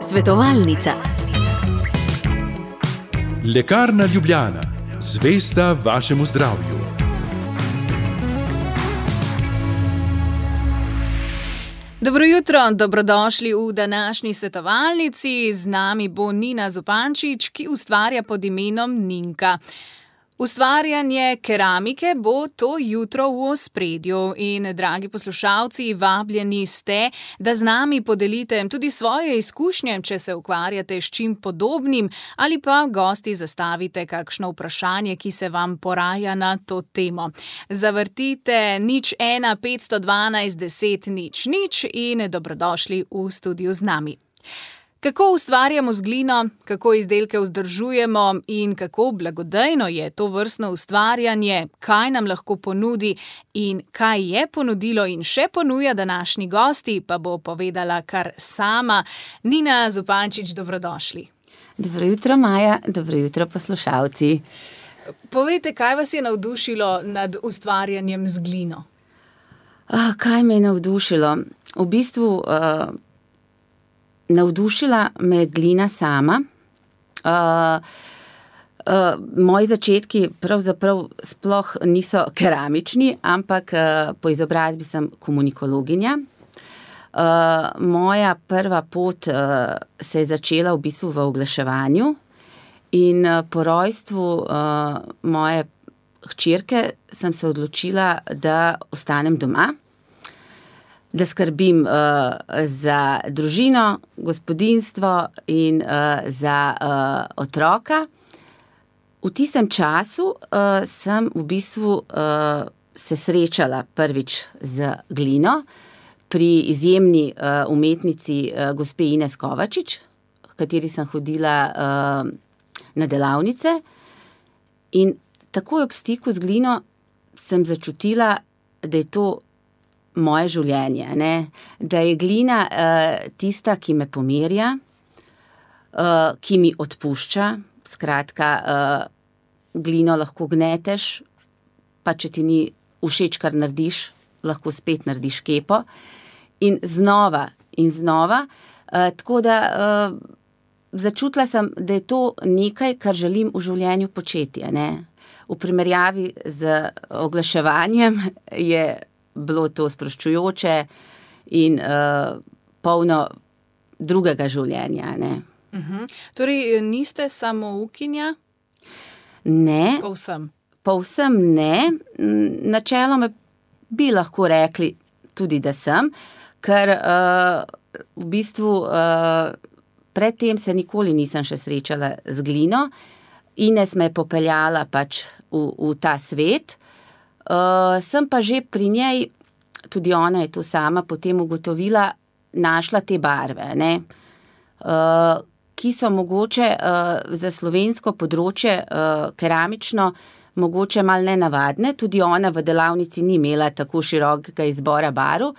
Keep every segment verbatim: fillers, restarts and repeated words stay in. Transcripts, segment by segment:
Svetovalnica. Lekarna Ljubljana, zvesta vašemu zdravju. Dobro jutro, dobrodošli v današnji svetovalnici. Z nami bo Nina Zupančič, ki ustvarja pod imenom Ninka. Ustvarjanje keramike bo to jutro v ospredju in, dragi poslušalci, vabljeni ste, da z nami podelite tudi svoje izkušnje, če se ukvarjate s čim podobnim, ali pa gosti zastavite kakšno vprašanje, ki se vam poraja na to temo. Zavrtite nič ena petsto dvanajst deset nič nič in dobrodošli v studiu z nami. Kako ustvarjamo z glino, kako izdelke vzdržujemo in kako blagodejno je to vrstno ustvarjanje, kaj nam lahko ponudi in kaj je ponudilo in še ponuja današnji gosti, pa bo povedala kar sama. Nina Zupančič, dobrodošli. Dobro jutro, Maja, dobro jutro, poslušalci. Povejte, kaj vas je navdušilo nad ustvarjanjem z glino? Ah, kaj me je navdušilo? V bistvu... Uh, Navdušila me je glina sama. Uh, uh, moji začetki pravzaprav sploh niso keramični, ampak uh, po izobrazbi sem komunikologinja. Uh, moja prva pot uh, se je začela v bistvu v oglaševanju in uh, po rojstvu uh, moje hčerke sem se odločila, da ostanem doma, da skrbim uh, za družino, gospodinjstvo in uh, za uh, otroka. V tistem času uh, sem v bistvu uh, se srečala prvič z glino pri izjemni uh, umetnici uh, gospe Ines Kovačič, v kateri sem hodila uh, na delavnice. In takoj ob stiku z glino sem začutila, da je to moje življenje, ne? Da je glina uh, tista, ki me pomirja, uh, ki mi odpušča. Skratka, uh, glino lahko gneteš, pa če ti ni všeč, kar narediš, lahko spet narediš kepo. In znova in znova. Uh, tako da uh, začutila sem, da je to nekaj, kar želim v življenju početi, ne? V primerjavi z oglaševanjem je bilo to sproščujoče in uh, polno drugega življenja, ne. Uh-huh. Torej, niste samoukinja? Ne. Povsem? Povsem ne. Načeloma bi lahko rekli tudi, da sem, ker uh, v bistvu uh, predtem se nikoli nisem še srečala z glino. Ines me je popeljala pač v, v ta svet. Uh, sem pa že pri njej, tudi ona je to sama potem ugotovila, našla te barve, ne, uh, ki so mogoče uh, za slovensko področje uh, keramično mogoče malo nenavadne. Tudi ona v delavnici ni imela tako širokega izbora barv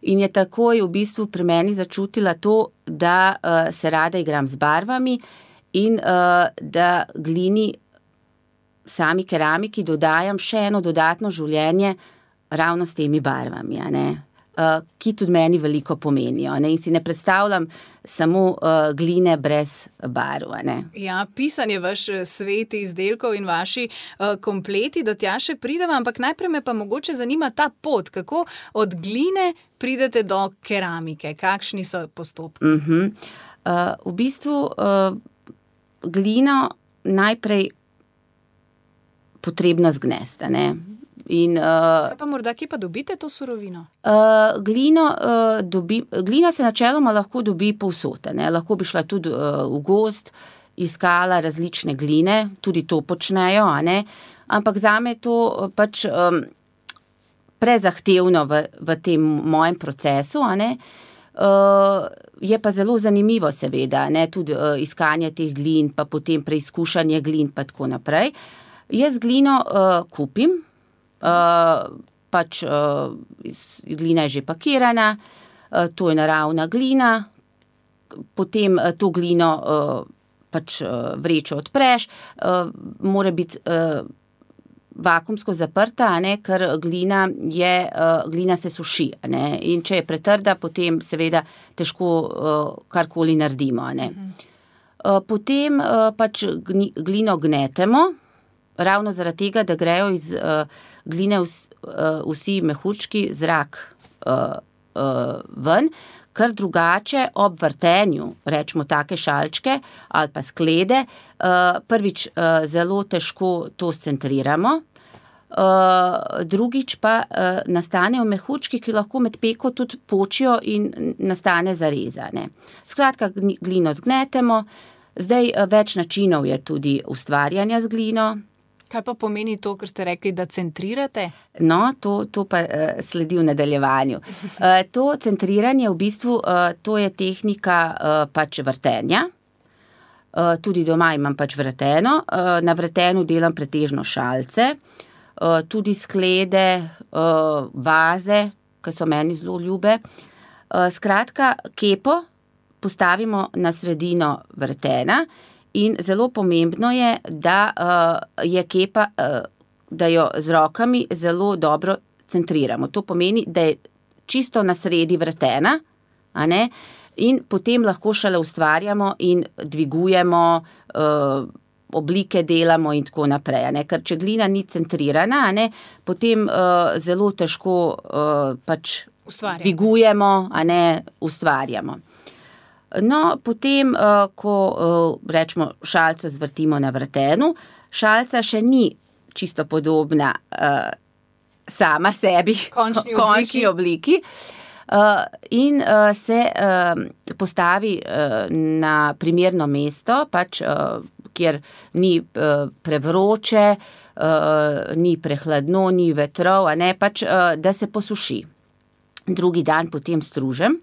in je takoj v bistvu pri meni začutila to, da uh, se rada igram z barvami in uh, da glini, sami keramiki dodajam še eno dodatno življenje ravno s temi barvami, a ne, uh, ki tudi meni veliko pomenijo, ne, in si ne predstavljam samo uh, gline brez barv, a ne. Ja, pisanje vaš svet izdelkov in vaši uh, kompleti, do tja še prideva, ampak najprej me pa mogoče zanima ta pot, kako od gline pridete do keramike, kakšni so postopki? Uh-huh. Uh, v bistvu uh, glino najprej potrebno zgnesti, ne. In, uh, Kaj pa morda, kje pa dobite to surovino? Uh, glino, uh, dobi, glina se načeloma lahko dobi povsod, ne. Lahko bi šla tudi uh, v gozd, iskala različne gline, tudi to počnejo, a ne. Ampak zame je to pač um, prezahtevno v, v tem mojem procesu, a ne. Uh, je pa zelo zanimivo seveda, ne, tudi uh, iskanje teh glin, pa potem preizkušanje glin, pa tako naprej. Jaz glino uh, kupim, uh, pač uh, glina je že pakirana, uh, to je naravna glina, potem uh, to glino uh, pač uh, vrečo odpreš, uh, mora biti uh, vakuumsko zaprta, a ne, ker glina, je, uh, glina se suši. A ne, in če je pretrda, potem seveda težko uh, karkoli naredimo. A ne. Uh, potem uh, pač glino gnetemo, ravno zaradi tega, da grejo iz uh, gline vs, uh, vsi mehurčki, zrak uh, uh, ven, ker drugače ob vrtenju, rečemo take šalčke ali pa sklede, uh, prvič uh, zelo težko to scentriramo, uh, drugič pa uh, nastanejo mehurčki, ki lahko med peko tudi počijo in nastane zareza. Ne. Skratka, glino zgnetemo, zdaj uh, več načinov je tudi ustvarjanja z glino. Kaj pa pomeni to, ker ste rekli, da centrirate? No, to, to pa uh, sledi v nadaljevanju. Uh, to centriranje v bistvu, uh, to je tehnika uh, pač vrtenja. Uh, tudi doma imam pač vrteno. Uh, na vrtenu delam pretežno šalce, uh, tudi sklede, uh, vaze, ki so meni zelo ljube. Uh, skratka, kepo postavimo na sredino vrtena. In zelo pomembno je, da uh, je kepa, uh, da jo z rokami zelo dobro centriramo. To pomeni, da je čisto na sredi vrtena, a ne, in potem lahko šele ustvarjamo in dvigujemo, uh, oblike delamo in tako naprej. A ne. Ker če glina ni centrirana, a ne, potem uh, zelo težko uh, pač dvigujemo, a ne, ustvarjamo. No, potem, uh, ko uh, rečemo šalco zvrtimo na vrtenu, šalca še ni čisto podobna uh, sama sebi, končni končni obliki. Uh, in uh, se uh, postavi uh, na primerno mesto, pač, uh, kjer ni uh, prevroče, uh, ni prehladno, ni vetrov, a ne, pač, uh, da se posuši. Drugi dan potem stružem.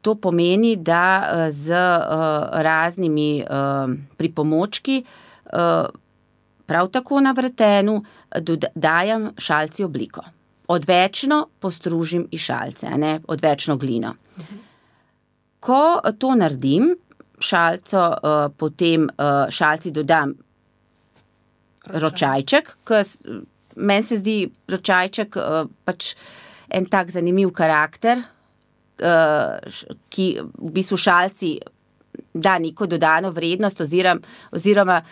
To pomeni, da z uh, raznimi uh, pripomočki, uh, prav tako na vrtenu, dajem šalci obliko. Odvečno postružim iz šalce, a ne, odvečno glino. Mhm. Ko to naredim, šalco, uh, potem uh, šalci dodam Ročaj. ročajček, ker meni se zdi ročajček uh, pač en tak zanimiv karakter, ki v bistvu šalci da neko dodano vrednost oziroma, oziroma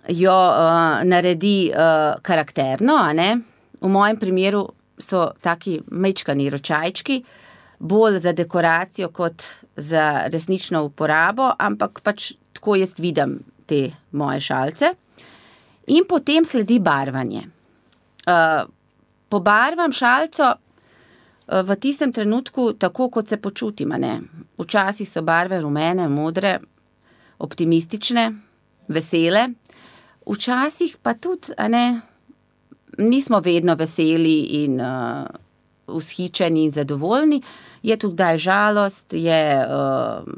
jo uh, naredi uh, karakterno, a ne. V mojem primeru so taki majčkani ročajčki, bolj za dekoracijo kot za resnično uporabo, ampak pač tako jaz vidim te moje šalce. In potem sledi barvanje. Uh, pobarvam šalco v tistem trenutku tako, kot se počutim, a ne. Včasih so barve rumene, modre, optimistične, vesele. Včasih pa tudi, a ne, nismo vedno veseli in uh, vzhičeni in zadovoljni. Je tudi kdaj žalost, je uh,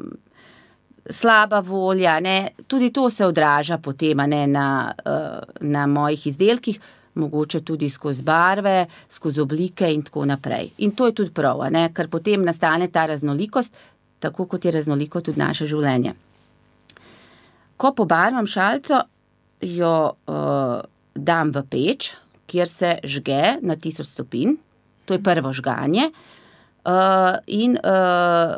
slaba volja, ne. Tudi to se odraža potem, a ne, na, uh, na mojih izdelkih. Mogoče tudi skozi barve, skozi oblike in tako naprej. In to je tudi prav, a ne, ker potem nastane ta raznolikost, tako kot je raznoliko tudi naše življenje. Ko pobarvam šalco, jo uh, dam v peč, kjer se žge na tisoč stopinj, to je prvo žganje, uh, in uh,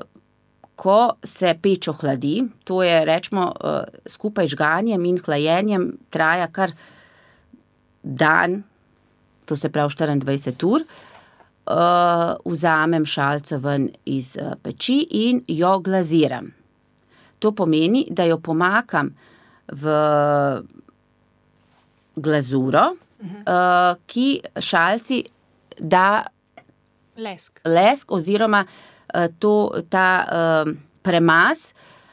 ko se peč ohladi, to je, rečemo, uh, skupaj žganjem in hlajenjem traja kar dan, to se pravi štiriindvajset ur, uh, vzamem šalco ven iz uh, peči in jo glaziram. To pomeni, da jo pomakam v glazuro, uh-huh. uh, ki šalci da lesk, lesk oziroma uh, to, ta uh, premaz,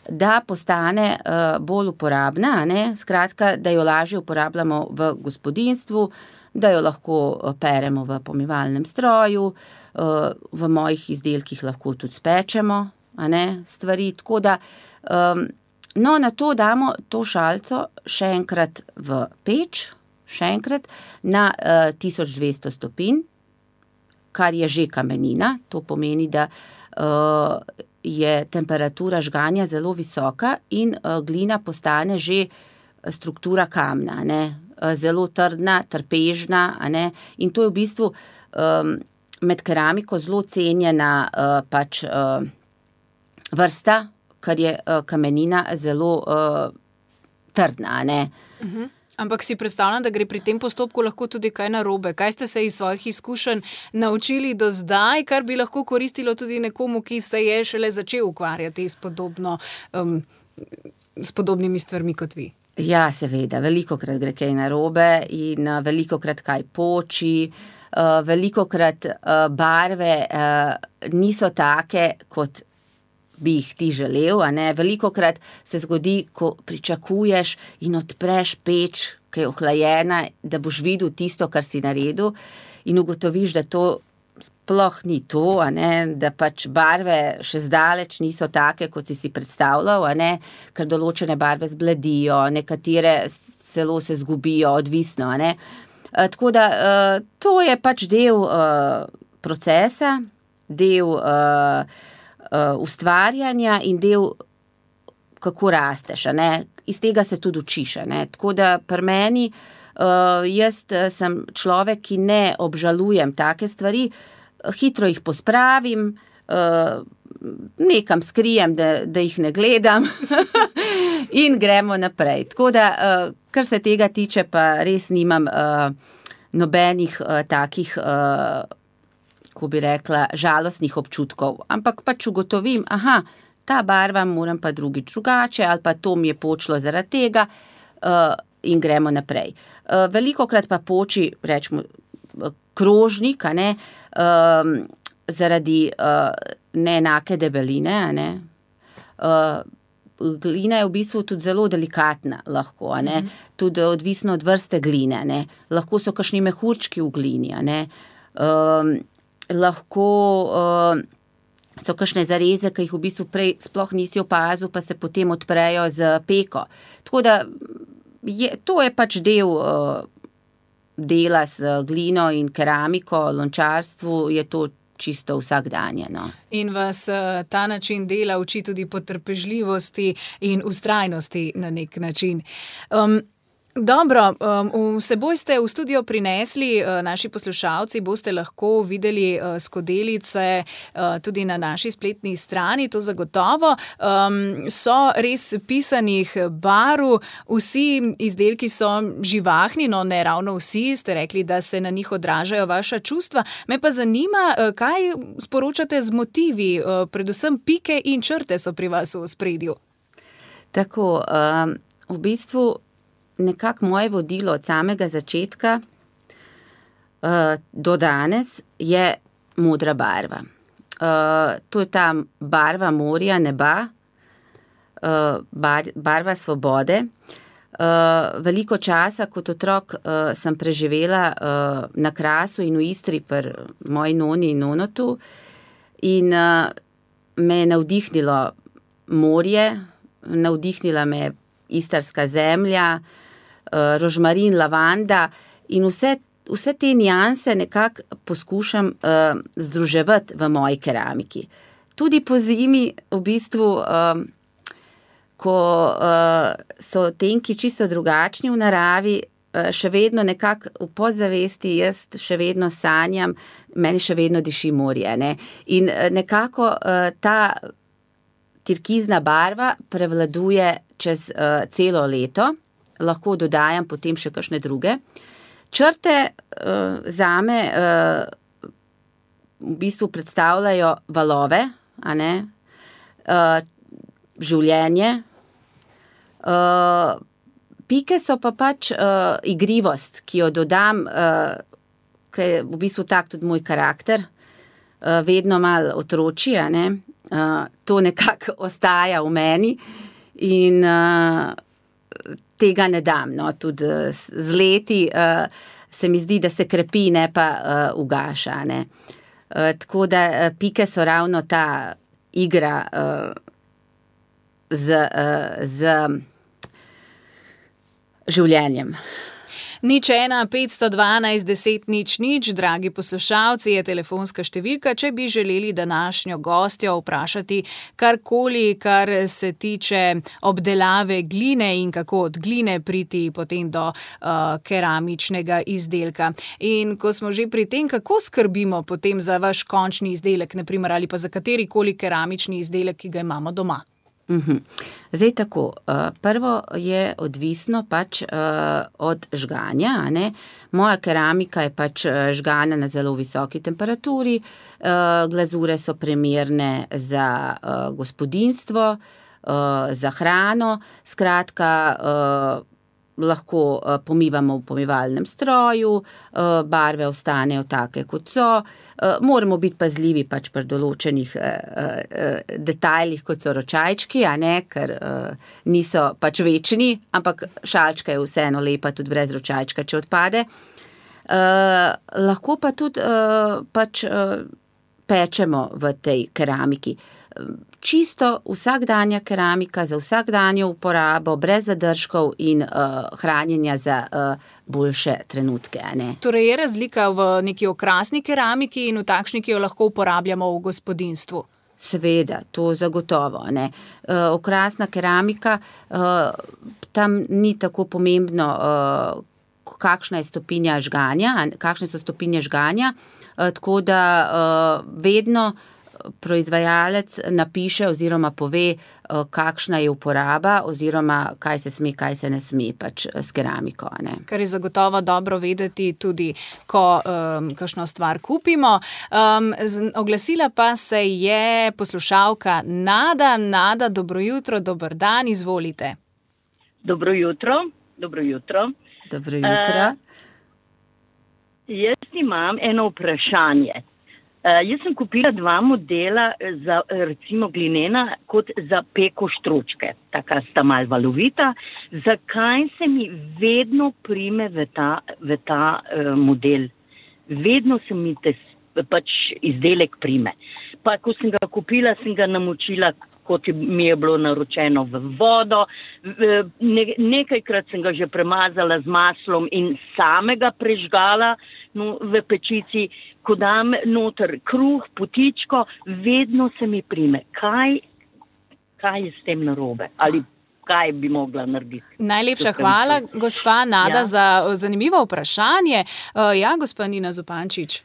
da postane uh, bolj uporabna, a ne? Skratka, da jo lažje uporabljamo v gospodinjstvu, da jo lahko peremo v pomivalnem stroju, uh, v mojih izdelkih lahko tudi spečemo, a ne, stvari, tako da, um, no, na to damo to šalco še enkrat v peč, še enkrat na uh, tisoč dvesto stopinj, kar je že kamenina, to pomeni, da uh, je temperatura žganja zelo visoka in uh, glina postane že struktura kamna, ne. zelo trdna, trpežna, a ne, in to je v bistvu um, med keramiko zelo cenjena uh, pač uh, vrsta, ker je uh, kamenina zelo uh, trdna, a ne. Uh-huh. Ampak si predstavljam, da gre pri tem postopku lahko tudi kaj narobe. Kaj ste se iz svojih izkušenj naučili do zdaj, kar bi lahko koristilo tudi nekomu, ki se je šele začel ukvarjati s podobno, um, s podobnimi stvarmi kot vi? Ja, seveda, velikokrat gre kaj narobe in uh, velikokrat kaj poči, uh, velikokrat uh, barve uh, niso take, kot bi jih ti želel, a ne, velikokrat se zgodi, ko pričakuješ in odpreš peč, ki je ohlajena, da boš videl tisto, kar si naredil in ugotoviš, da to sploh ni to, a ne, da pač barve še zdaleč niso take, kot si si predstavljal, a ne, ker določene barve zbledijo, nekatere celo se zgubijo, odvisno, a ne. E, tako da e, to je pač del e, procesa, del e, Uh, ustvarjanja in del, kako rasteš, a ne, iz tega se tudi učiš, a ne, tako da pri meni, uh, jaz sem človek, ki ne obžalujem take stvari, hitro jih pospravim, uh, nekam skrijem, da, da jih ne gledam in gremo naprej, tako da, uh, kar se tega tiče, pa res nimam uh, nobenih uh, takih uh, ko bi rekla, žalostnih občutkov, ampak pač ugotovim, aha, ta barva moram pa drugič drugače, ali pa to mi je počlo zaradi tega uh, in gremo naprej. Uh, velikokrat pa poči, rečemo, krožnik, a ne, um, zaradi uh, neenake debeline, a ne. Uh, glina je v bistvu tudi zelo delikatna, lahko, a ne, mm-hmm. tudi odvisno od vrste gline, a ne. Lahko so kakšni mehurčki v glini, a ne. Um, lahko uh, so kakšne zareze, ki jih v bistvu prej sploh nisi opazil, pa se potem odprejo z peko. Tako da je, to je pač del uh, dela z glino in keramiko, lončarstvu, je to čisto vsakdanje. No. In vas uh, ta način dela uči tudi potrpežljivosti in vztrajnosti na nek način. Um, Dobro, um, seboj ste v studio prinesli, uh, naši poslušalci boste lahko videli uh, skodelice uh, tudi na naši spletni strani, to zagotovo. Um, so res pisanih barv, vsi izdelki so živahni, no ne ravno vsi, ste rekli, da se na njih odražajo vaša čustva. Me pa zanima, uh, kaj sporočate z motivi, uh, predvsem pike in črte so pri vas v ospredju. Tako, um, v bistvu nekako moje vodilo od samega začetka uh, do danes je modra barva. Uh, to je ta barva morja, neba, uh, bar, barva svobode. Uh, veliko časa kot otrok uh, sem preživela uh, na Krasu in v Istri pri moji noni in nonotu in uh, me je navdihnilo morje, navdihnila me istarska zemlja, rožmarin, lavanda in vse, vse te nianse nekako poskušam uh, združevati v moji keramiki. Tudi po zimi, v bistvu, um, ko uh, so tenki čisto drugačni v naravi, uh, še vedno nekako v podzavesti jaz še vedno sanjam, meni še vedno diši morje, ne? In uh, nekako uh, ta turkizna barva prevladuje čez uh, celo leto, lahko dodajam potem še kakšne druge. Črte uh, zame uh, v bistvu predstavljajo valove, a ne, uh, življenje. Uh, pike so pa pač uh, igrivost, ki jo dodam, uh, ki je v bistvu tak tudi moj karakter, uh, vedno malo otroči, a ne. Uh, to nekako ostaja v meni in uh, tega ne dam, no, tudi z leti uh, se mi zdi, da se krepi, ne pa uh, ugaša, ne. Uh, tako da uh, pike so ravno ta igra uh, z, uh, z življenjem. Nič ena, petsto dvanajst, deset, nič, nič, dragi poslušalci, je telefonska številka, če bi želeli današnjo gostjo vprašati karkoli, kar se tiče obdelave gline in kako od gline priti potem do uh, keramičnega izdelka. In ko smo že pri tem, kako skrbimo potem za vaš končni izdelek, naprimer, ali pa za katerikoli keramični izdelek, ki ga imamo doma? Uhum. Zdaj tako, prvo je odvisno pač od žganja, a ne. Moja keramika je pač žgana na zelo visoki temperaturi, glazure so primerne za gospodinjstvo, za hrano, skratka, lahko pomivamo v pomivalnem stroju, barve ostanejo take, kot so. Moramo biti pazljivi pač pri določenih detajlih, kot so ročajčki, a ne, ker niso pač večni, ampak šalčka je vseeno lepa tudi brez ročajčka, če odpade. Lahko pa tudi pač pečemo v tej keramiki. Čisto vsakdanja keramika za vsakdanjo uporabo, brez zadržkov in uh, hranjenja za uh, boljše trenutke. Ne? Torej je razlika v neki okrasni keramiki in v takšni, ki jo lahko uporabljamo v gospodinjstvu? Seveda, to zagotovo. Ne? Uh, okrasna keramika, uh, tam ni tako pomembno, uh, kakšna je stopinja žganja, kakšne so stopinje žganja, uh, tako da uh, vedno proizvajalec napiše oziroma pove, kakšna je uporaba oziroma kaj se sme, kaj se ne sme pač s keramiko. Ne. Kar je zagotovo dobro vedeti tudi, ko um, kakšno stvar kupimo. Um, z, oglasila pa se je poslušalka Nada. Nada, dobro jutro, dober dan, izvolite. Dobro jutro, dobro jutro. Dobro jutro. Uh, jaz imam eno vprašanje. Uh, jaz sem kupila dva modela za recimo glinena kot za peko štručke, taka sta mal valovita. Zakaj se mi vedno prime v ta, v ta uh, model? Vedno se mi te, pač izdelek prime. Pa ko sem ga kupila, sem ga namočila, kot mi je bilo naročeno, v vodo. Ne, nekajkrat sem ga že premazala z maslom in samega prežgala no, v pečici. Ko dam noter kruh, potičko, vedno se mi prime. Kaj, kaj je s tem narobe? Ali kaj bi mogla narediti? Najlepša hvala, gospa Nada, ja. Za zanimivo vprašanje. Uh, ja, gospa Nina Zupančič.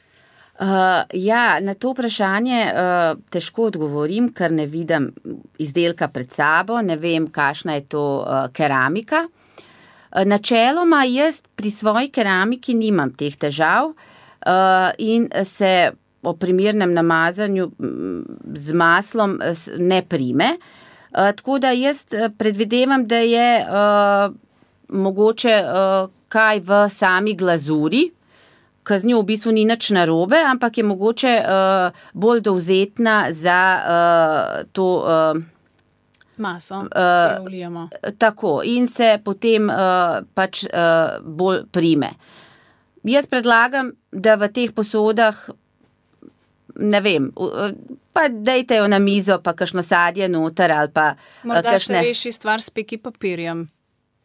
Uh, ja, na to vprašanje uh, težko odgovorim, ker ne vidim izdelka pred sabo, ne vem, kakšna je to uh, keramika. Uh, načeloma jaz pri svoji keramiki nimam teh težav, Uh, in se o primernem namazanju z maslom ne prime. Uh, tako da jaz predvidevam, da je uh, mogoče uh, kaj v sami glazuri, ki z njo v bistvu ni nič narobe, ampak je mogoče uh, bolj dovzetna za uh, to uh, maso, uh, ki jo vlijemo. Tako, in se potem uh, pač uh, bolj prime. Jaz predlagam, da v teh posodah, ne vem, pa dejte jo na mizo, pa kakšno sadje noter, ali pa morda kakšne... se reši stvar s peki papirjem.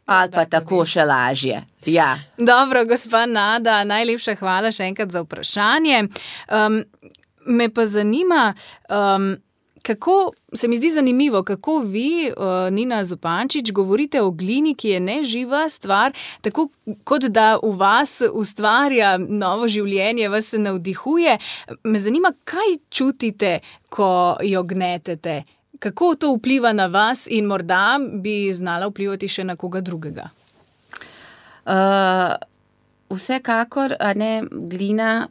Ali pa tako še lažje, ja. Dobro, gospa Nada, najlepša hvala še enkrat za vprašanje. Um, me pa zanima, um, kako, se mi zdi zanimivo, kako vi, uh, Nina Zupančič, govorite o glini, ki je neživa stvar, tako kot da v vas ustvarja novo življenje, vas se navdihuje. Me zanima, kaj čutite, ko jo gnetete? Kako to vpliva na vas in morda bi znala vplivati še na koga drugega? Uh, vsekakor, a ne, glina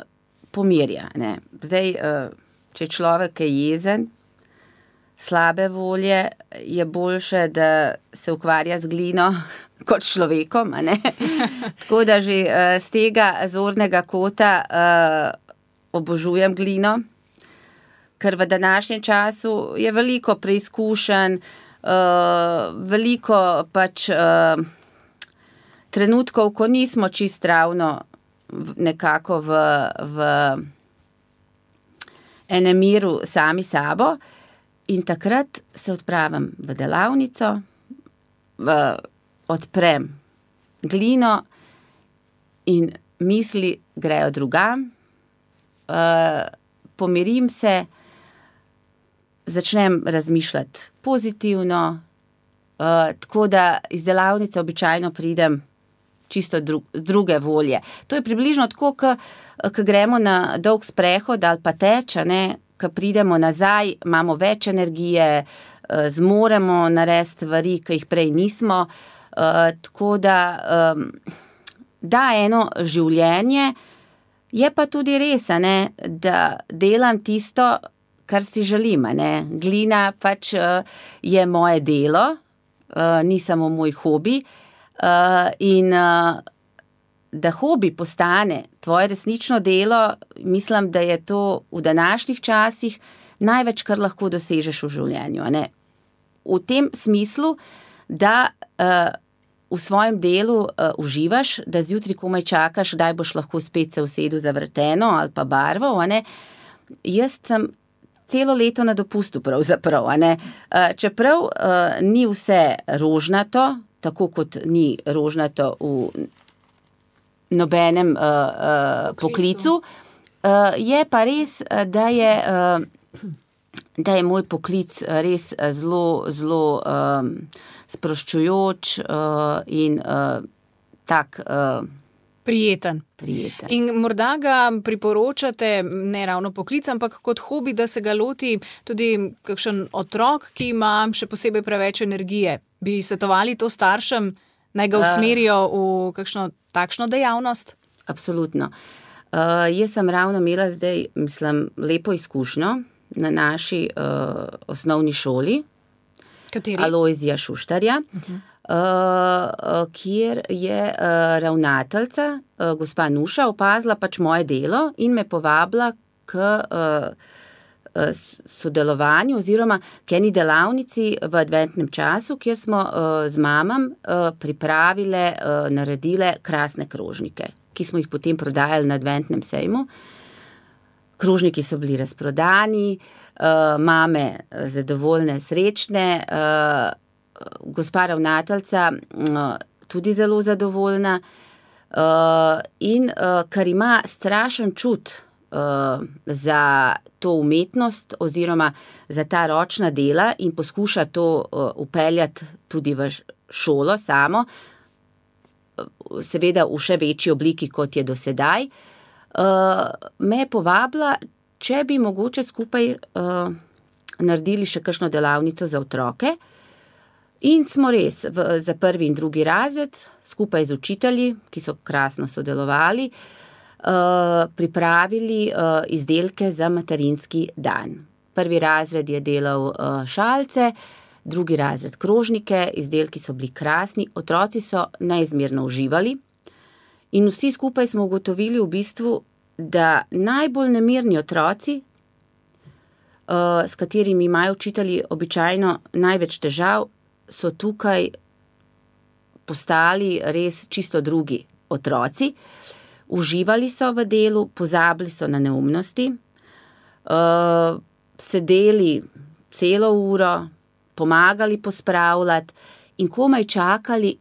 pomirja, ne. Zdaj, uh, če človek je jezen, slabe volje, je boljše, da se ukvarja z glino kot človekom, a ne? Tako da že uh, z tega zornega kota uh, obožujem glino, ker v današnjem času je veliko preizkušenj, uh, veliko pač uh, trenutkov, ko nismo čist ravno nekako v, v enem miru sami sabo. In takrat se odpravim v delavnico, v, odprem glino in misli grejo drugam, uh, pomirim se, začnem razmišljati pozitivno, uh, tako da iz delavnice običajno pridem čisto dru, druge volje. To je približno tako, ko gremo na dolg sprehod ali pa teč, ko pridemo nazaj, imamo več energije, uh, zmoremo narediti stvari, ki jih prej nismo, uh, tako da um, da eno življenje, je pa tudi res, ne, da delam tisto, kar si želim, ne. Glina pač uh, je moje delo, uh, ni samo moj hobi, uh, in uh, da hobi postane tvoje resnično delo, mislim, da je to v današnjih časih največ, kar lahko dosežeš v življenju, ne. V tem smislu, da uh, v svojem delu uh, uživaš, da zjutraj komaj čakaš, kdaj boš lahko spet se usedel za vrteno ali pa barvo, ne. Jaz sem celo leto na dopustu pravzaprav, ne. Uh, čeprav uh, ni vse rožnato, tako kot ni rožnato v nobenem uh, uh, poklicu, uh, je pa res, da je, uh, da je moj poklic res zelo, zelo um, sproščujoč uh, in uh, tak uh, prijeten. prijeten. In morda ga priporočate, ne ravno poklic, ampak kot hobi, da se ga loti tudi kakšen otrok, ki ima še posebej preveč energije. Bi svetovali to staršem, naj ga usmerijo v kakšno takšno dejavnost? Absolutno. Uh, jaz sem ravno imela zdaj, mislim, lepo izkušnjo na naši uh, osnovni šoli, Kateri? Alojzija Šuštarja, uh-huh. uh, kjer je uh, ravnateljica, uh, gospa Nuša, opazila pač moje delo in me povabila k uh, uh, sodelovanju oziroma k eni delavnici v adventnem času, kjer smo uh, z mamam uh, pripravile, uh, naredile krasne krožnike, ki smo jih potem prodajali na adventnem sejmu. Krožniki so bili razprodani, uh, mame zadovoljne, srečne, uh, gospa ravnateljica uh, tudi zelo zadovoljna uh, in uh, kar ima strašen čut uh, za to umetnost oziroma za ta ročna dela in poskuša to uh, upeljati tudi v šolo samo, seveda v še večji obliki, kot je do sedaj. Uh, me je povabila, če bi mogoče skupaj uh, naredili še kakšno delavnico za otroke in smo res v, za prvi in drugi razred skupaj z učitelji, ki so krasno sodelovali, uh, pripravili uh, izdelke za materinski dan. Prvi razred je delal uh, šalce, drugi razred krožnike, izdelki so bili krasni, otroci so neizmerno uživali. In vsi skupaj smo ugotovili v bistvu, da najbolj nemirni otroci, uh, s katerimi imajo učitelji običajno največ težav, so tukaj postali res čisto drugi otroci. Uživali so v delu, pozabili so na neumnosti, uh, sedeli celo uro, pomagali pospravljati in komaj čakali,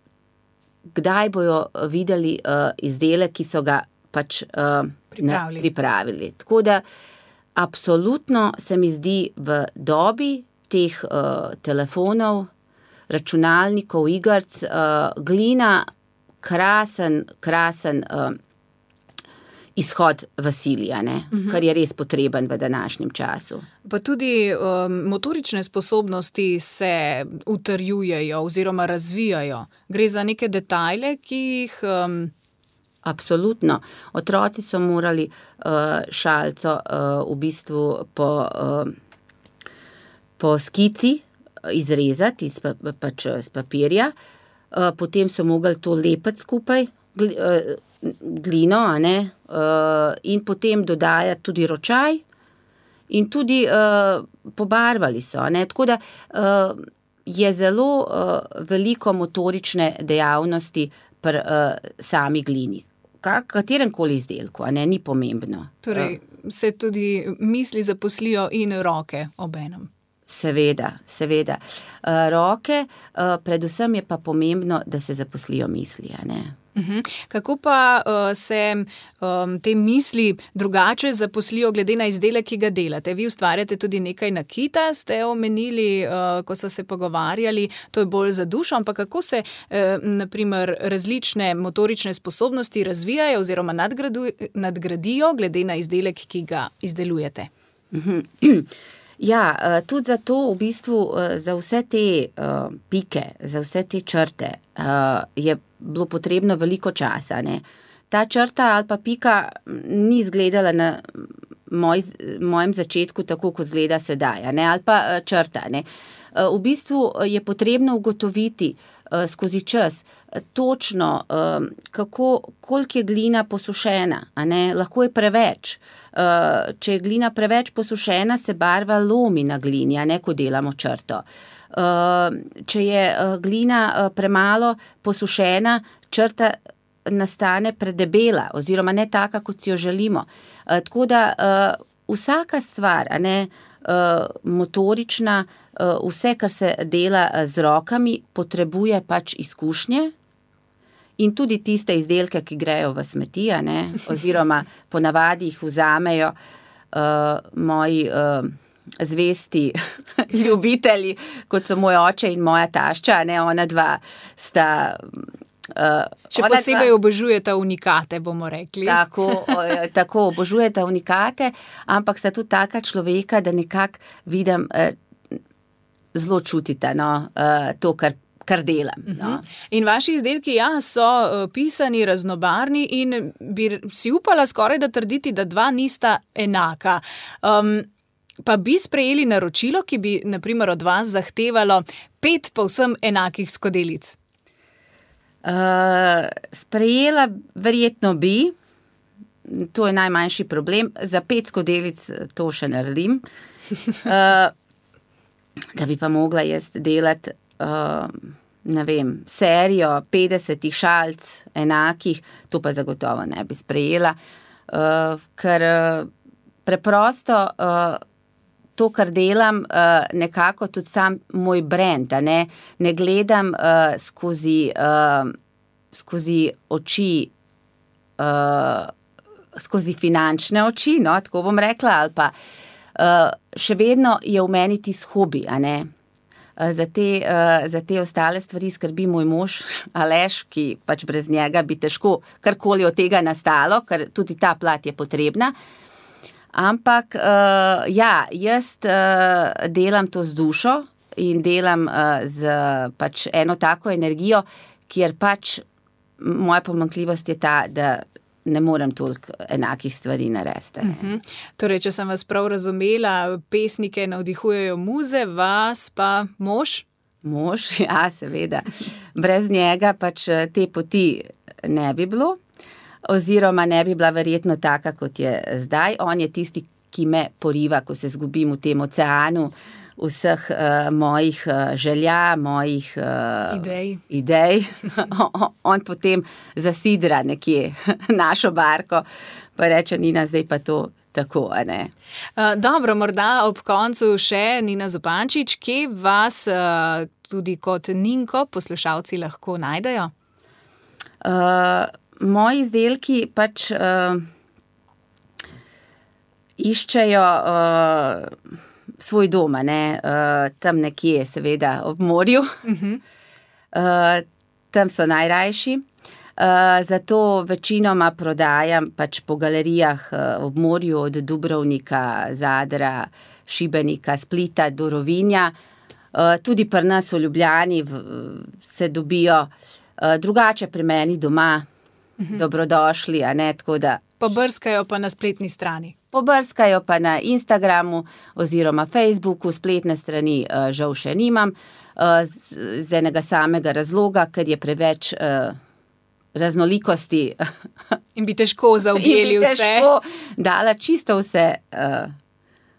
kdaj bojo videli uh, izdelek, ki so ga pač uh, pripravili. Ne, pripravili. Tako da absolutno se mi zdi v dobi teh uh, telefonov, računalnikov, igrc, uh, glina krasen, krasen uh, izhod v sili, ne? Uh-huh. Kar je res potreben v današnjem času. Pa tudi um, motorične sposobnosti se utrjujejo oziroma razvijajo. Gre za neke detajle, ki jih... Um... Absolutno. Otroci so morali uh, šalco uh, v bistvu po, uh, po skici izrezati iz, pa, pač, iz papirja, uh, potem so mogli to lepiti skupaj, gl, uh, glino, a ne, uh, in potem dodajati tudi ročaj in tudi uh, pobarvali so, ne, tako da uh, je zelo uh, veliko motorične dejavnosti pri uh, sami glini. Katerenkoli izdelku, a ne, ni pomembno. Torej, se tudi misli zaposlijo in roke obenem. Seveda, seveda. Uh, roke, uh, predvsem je pa pomembno, da se zaposlijo misli, a ne. Uh-huh. Kako pa uh, se um, te misli drugače zaposlijo glede na izdelek, ki ga delate? Vi ustvarjate tudi nekaj nakita, ste omenili, uh, ko so se pogovarjali, to je bolj za dušo, ampak kako se uh, naprimer različne motorične sposobnosti razvijajo oziroma nadgradu, nadgradijo glede na izdelek, ki ga izdelujete? Uh-huh. Ja, tudi zato v bistvu za vse te uh, pike, za vse te črte uh, je bilo potrebno veliko časa. Ne? Ta črta ali pa pika ni izgledala na moj, mojem začetku tako, kot izgleda sedaj, ne? Ali pa uh, črta. Ne? Uh, v bistvu je potrebno ugotoviti uh, skozi čas točno, um, kako, koliko je glina posušena, a ne? Lahko je preveč. Uh, če je glina preveč posušena, se barva lomi na glini, a ne, ko delamo črto. Uh, če je uh, glina uh, premalo posušena, črta nastane predebela oziroma ne taka, kot si jo želimo. Uh, tako da uh, vsaka stvar, a ne, uh, motorična, uh, vse, kar se dela z rokami, potrebuje pač izkušnje. In tudi tiste izdelke, ki grejo v smeti, a ne, oziroma ponavadi jih vzamejo uh, moji uh, zvesti ljubitelji, kot so moj oče in moja tašča, a ne, ona dva sta... Uh, Še posebej dva, obožujeta unikate, bomo rekli. Tako, tako obožujeta unikate, ampak sta tudi taka človeka, da nekako vidim, uh, zelo čutita, no, uh, to, kar kar delam. No. In vaši izdelki, ja, so uh, pisani, raznobarni in bi si upala skoraj da trditi, da dva nista enaka. Um, pa bi sprejeli naročilo, ki bi, na primer, od vas zahtevalo pet povsem enakih skodelic? Uh, sprejela verjetno bi, to je najmanjši problem, za pet skodelic to še naredim, uh, da bi pa mogla jaz delati Uh, ne vem, serijo petdesetih šalc enakih, to pa zagotovo ne bi sprejela, uh, ker uh, preprosto uh, to, kar delam, uh, nekako tudi sam moj brand, a ne, ne gledam uh, skozi, uh, skozi oči, uh, skozi finančne oči, no, tako bom rekla, ali pa uh, še vedno je v meni tis hobi, a ne. Za te, za te ostale stvari skrbi moj mož Aleš, ki pač brez njega bi težko karkoli od tega nastalo, ker tudi ta plat je potrebna. Ampak ja, jaz delam to z dušo in delam z pač eno tako energijo, kjer pač moja pomanjkljivost je ta, da ne morem toliko enakih stvari narediti. Uh-huh. Torej, če sem vas prav razumela, pesnike navdihujejo muze, vas pa mož? Mož, ja, seveda. Brez njega pač te poti ne bi bilo, oziroma ne bi bila verjetno taka, kot je zdaj. On je tisti, ki me poriva, ko se zgubim v tem oceanu vseh uh, mojih uh, želja, mojih uh, idej. idej. On potem zasidra nekje našo barko, pa reče, Nina, zdaj pa to tako, a ne. Uh, dobro, morda ob koncu še Nina Zupančič, kje vas uh, tudi kot Ninko poslušalci lahko najdejo? Uh, moji izdelki pač uh, iščejo uh, svoj dom, ne, uh, tam nekje, seveda, ob morju. Uh-huh. Uh, tam so najrajši. Uh, zato večinoma prodajam pač po galerijah uh, ob morju od Dubrovnika, Zadra, Šibenika, Splita do Rovinja. Uh, tudi pri nas v Ljubljani v, se dobijo uh, drugače pri meni doma. Uh-huh. Dobrodošli, a ne, tako da... Pobrskajo pa na spletni strani. Pobrskajo pa na Instagramu oziroma Facebooku, spletne strani uh, žal še nimam, uh, z, z enega samega razloga, ker je preveč uh, raznolikosti. In bi težko zaobjeli vse. In bi težko dala čisto vse uh,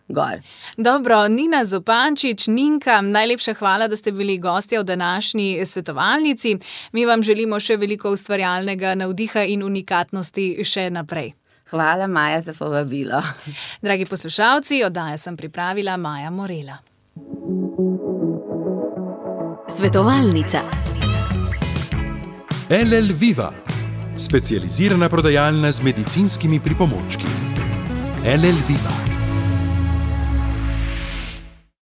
gor. Dobro, Nina Zupančič, Ninka, najlepša hvala, da ste bili gostja v današnji svetovalnici. Mi vam želimo še veliko ustvarjalnega navdiha in unikatnosti še naprej. Hvala, Maja, za povabilo. Dragi poslušalci, oddajo sem pripravila Maja Morela. Svetovalnica. L L Viva. specializirana prodajalna z medicinskimi pripomočki. L L Viva.